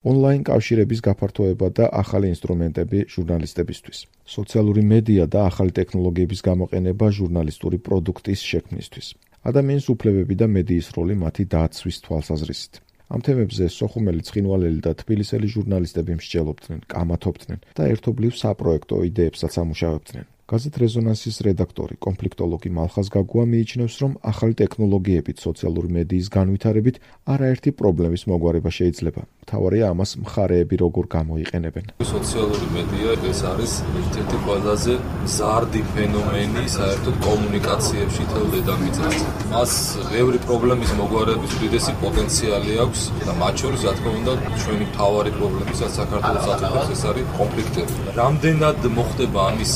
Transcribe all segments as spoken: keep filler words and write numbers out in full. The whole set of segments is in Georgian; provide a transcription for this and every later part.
ონლაინ კავშირების გაფართოება და ახალი ინსტრუმენტები ჟურნალისტებისთვის. სოციალური მედია და ახალი ტექნოლოგიების გამოყენება ჟურნალისტური პროდუქტის შექმნისთვის. ადამიანის უფლებები და მედიის როლი მათი დაცვის თვალსაზრისით. ამ თემებზე სოხუმელი, ცხინვალელი და თბილისელი ჟურნალისტები მსჯელობდნენ, კამათობდნენ და ერთობლივ საპროექტო იდეებსაც ამუშავებდნენ. გაზეთ რეზონანსის რედაქტორი, კონფლიქტოლოგი მალხაზ გაგუა მიიჩნევს, რომ ახალი ტექნოლოგიებით სოციალური მედიის განვითარებით არაერთი პრობლემის მოგვარება შეიძლება. მთავარია ამას მხარეები როგორ გამოიყენებენ. სოციალური მედია ეს არის ერთ-ერთი ყველაზე მზარდი ფენომენი საერთოდ კომუნიკაციებში თელ დედამიწაზე. მას ბევრი პრობლემის მოგვარების უდიდესი პოტენციალი აქვს და მათ შორის, რა თქმა უნდა, ჩვენი მთავარი პრობლემი საქართველოს აწუხებს ეს არის კონფლიქტები. რამდენად მოხდება ამის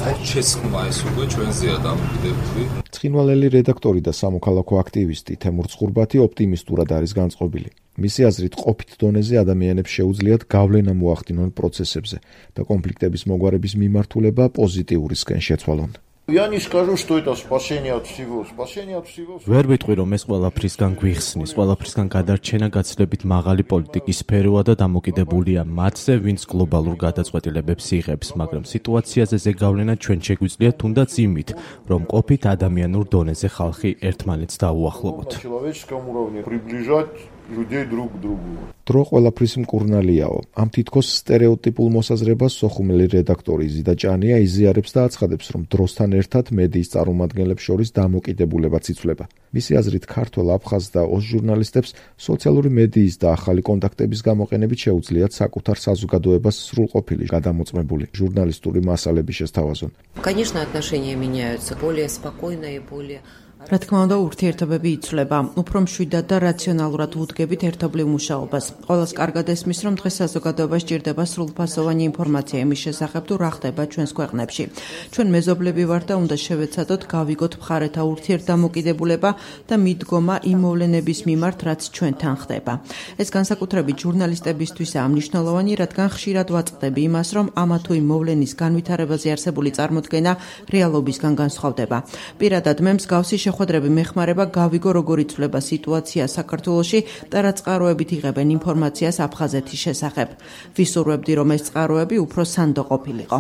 ხორცშესხმა ეს უკვე ჩვენზეა დამოკიდებული. ცხინვალელი რედაქტორი და სამოქალაქო აქტივისტი თემურ წყურბათი ოპტიმისტურად არის განწყობილი. მისი აზრით, ყოფით დონეზე ადამიანებს შეუძლიათ გავლენა მოახდინონ პროცესებზე და კონფლიქტების მოგვარების მიმართულება პოზიტიურისკენ შეცვალონ. Я не скажу, что это спасение от всего. Спасение от всего. ვერ ვიტყვი, რომ ეს ყველაფრისგან გვიხსნის, ყველაფრისგან გადარჩენა გაცილებით მაღალი პოლიტიკის სფეროა და დამოკიდებულია მათზე, ვინც გლობალურ გადაწყვეტილებებს იღებს, მაგრამ სიტუაციაზე ზეგავლენა ჩვენ შეგვიძლია თუნდაც იმით, რომ ყოფით ადამიანურ დონეზე ხალხი ერთმანეთს დაუახლოვოთ. людей друг к другу. დრო ყველაფრის მკურნალიაო. ამ თითქოს სტერეოტიპულ მოსაზრებას სოხუმელი რედაქტორი ზიდა ჭანია იზიარებს და აცხადებს, რომ დროსთან ერთად მედიის წარმომადგენლებს შორის დამოკიდებულებაც იცვლება. მისი აზრით, ქართველ, აფხაზ და ოს ჟურნალისტებს სოციალური მედიის და ახალი კონტაქტების გამოყენებით შეუძლიათ საკუთარ საზოგადოებას სრულყოფილი, გადამოწმებული ჟურნალისტური მასალები შესთავაზონ. Конечно, отношения меняются, более спокойно и более რა თქმა უნდა, ურთიერთობები იცვლება. უფრო მშვიდად და რაციონალურად უდგებით ერთობლივ მუშაობას. ყველას კარგად ესმის, რომ დღეს საზოგადოებას ჭირდება სრულფასოვანი ინფორმაცია იმის შესახებ, თუ რა ხდება ჩვენს ქვეყნებში. ჩვენ მეზობლები ვართ და უნდა შევეცადოთ გავიგოთ მხარეთა ურთიერთდამოკიდებულება და მიდგომა იმ მოვლენების მიმართ, რაც ჩვენთან ხდება. ეს განსაკუთრებით ჟურნალისტებისთვისაა მნიშვნელოვანი, რადგან ხშირად ვაწყდები იმას, რომ ამა თუ იმ მოვლენის განვითარებაზე არსებული წარმოდგენა რეალობისგან განსხვავდება. პირადად მე მსგავსი შეხვედრები მეხმარება გავიგო როგორ იცვლება სიტუაცია საქართველოში და რა წყაროებით იღებენ ინფორმაციას აფხაზეთის შესახებ. ვისურვებდი, რომ ეს წყაროები უფრო სანდო ყოფილიყო.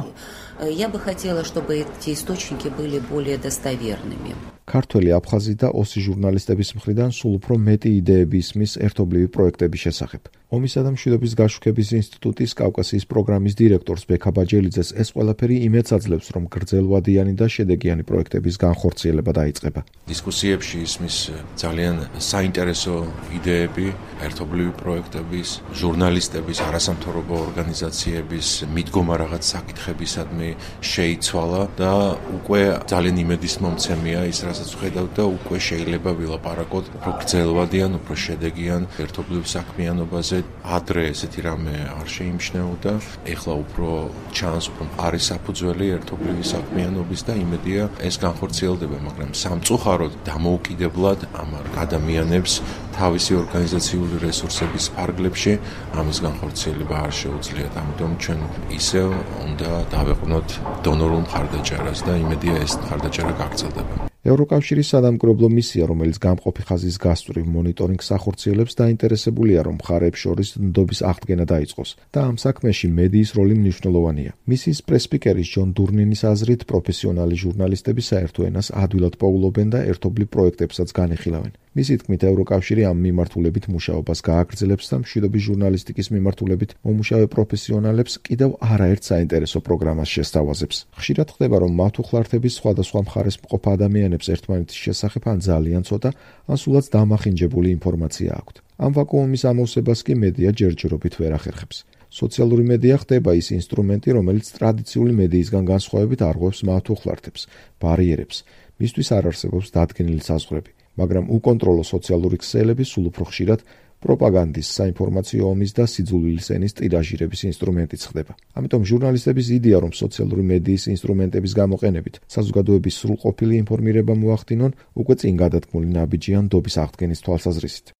Я бы хотела, чтобы эти источники были более достоверными. ქართველი, აფხაზი და ოსი ჟურნალისტების მხრიდან სულ უფრო მეტი იდეები ისმის ერთობლივი პროექტების შესახებ. ომისა და მშვიდობის გაშუქების ინსტიტუტის კავკასიის პროგრამის დირექტორს ბექა ბაჯელიძეს ეს ყველაფერი იმედს აძლევს, რომ გრძელვადიანი და შედეგიანი პროექტების განხორციელება დაიწყება. დისკუსიებში ისმის ძალიან საინტერესო იდეები, ერთობლივი პროექტების, ჟურნალისტების, არასამთავრობო ორგანიზაციების მიდგომა რაღაც საკითხებისადმი შეიცვალა და უკვე ძალიან იმედისმომცემია ის, რასაც ვხედავთ და უკვე შეიძლება ვილაპარაკოთ უფრო გრძელვადიან, უფრო შედეგიან ერთობლივ საქმიანობაზე. ადრე ესეთი რამე არ შეიმჩნეოდა, ეხლა უფრო ჩანს, უფრო არის საფუძველი ერთობლივი საქმიანობის და იმედია ეს განხორციელდება, მაგრამ სამწუხაროდ დამოუკიდებლად ამ ადამიანებს თავისი ორგანიზაციული რესურსების ფარგლებში ამის განხორციელება არ შეუძლიათ. ამიტომ ჩვენ ისევ უნდა დავეყვნოთ დონორულ მხარდაჭერას და იმედია ეს მხარდაჭერა გაგრძელდება. ევროკავშირის სადამკვირვებლო მისია, რომელიც გამყოფი ხაზის გასწვრივ მონიტორინგს ახორციელებს, დაინტერესებულია, რომ მხარეებს შორის ნდობის აღდგენა დაიწყოს და ამ საქმეში მედიის როლი მნიშვნელოვანია. მისიის პრესპიკერის ჯონ დურნინის აზრით, პროფესიონალი ჟურნალისტები საერთო ენას ადვილად პოულობენ და ერთობლივ პროექტებსაც განიხილავენ. მისი თქმით, ევროკავშირი ამ მიმართულებით მუშაობას გააგრძელებს და მშვიდობის ჟურნალისტიკის მიმართულებით მომუშავე პროფესიონალებს კიდევ არაერთ საინტერესო პროგრამას შესთავაზებს. ხშირად ხდება, რომ მათუხლართების სხვადასხვა მხარეს მყოფ ადამიანებს ერთმანეთის შესახებ ან ძალიან ცოტა, ან სულაც დამახინჯებული ინფორმაცია აქვთ. ამ ვაკუუმის ამოვსებას კი მედია ჯერჯერობით ვერ ახერხებს. სოციალური მედია ხდება ის ინსტრუმენტი, რომელიც ტრადიციული მედიისგან განსხვავებით არღვევს მათუხლართებს, ბარიერებს. მისთვის არ არსებობს დადგენილი საზღვრები. მაგრამ უკონტროლო სოციალური ქსელები სულ უფრო ხშირად პროპაგანდის, საინფორმაციო ომის და სიძულვილის ენის ტირაჟირების ინსტრუმენტიც ხდება. ამიტომ ჟურნალისტების იდეა, რომ სოციალური მედიის ინსტრუმენტების გამოყენებით საზოგადოების სრულყოფილი ინფორმირება მოახდინონ, უკვე წინ გადადგმული ნაბიჯია ნდობის აღდგენის თვალსაზრისით.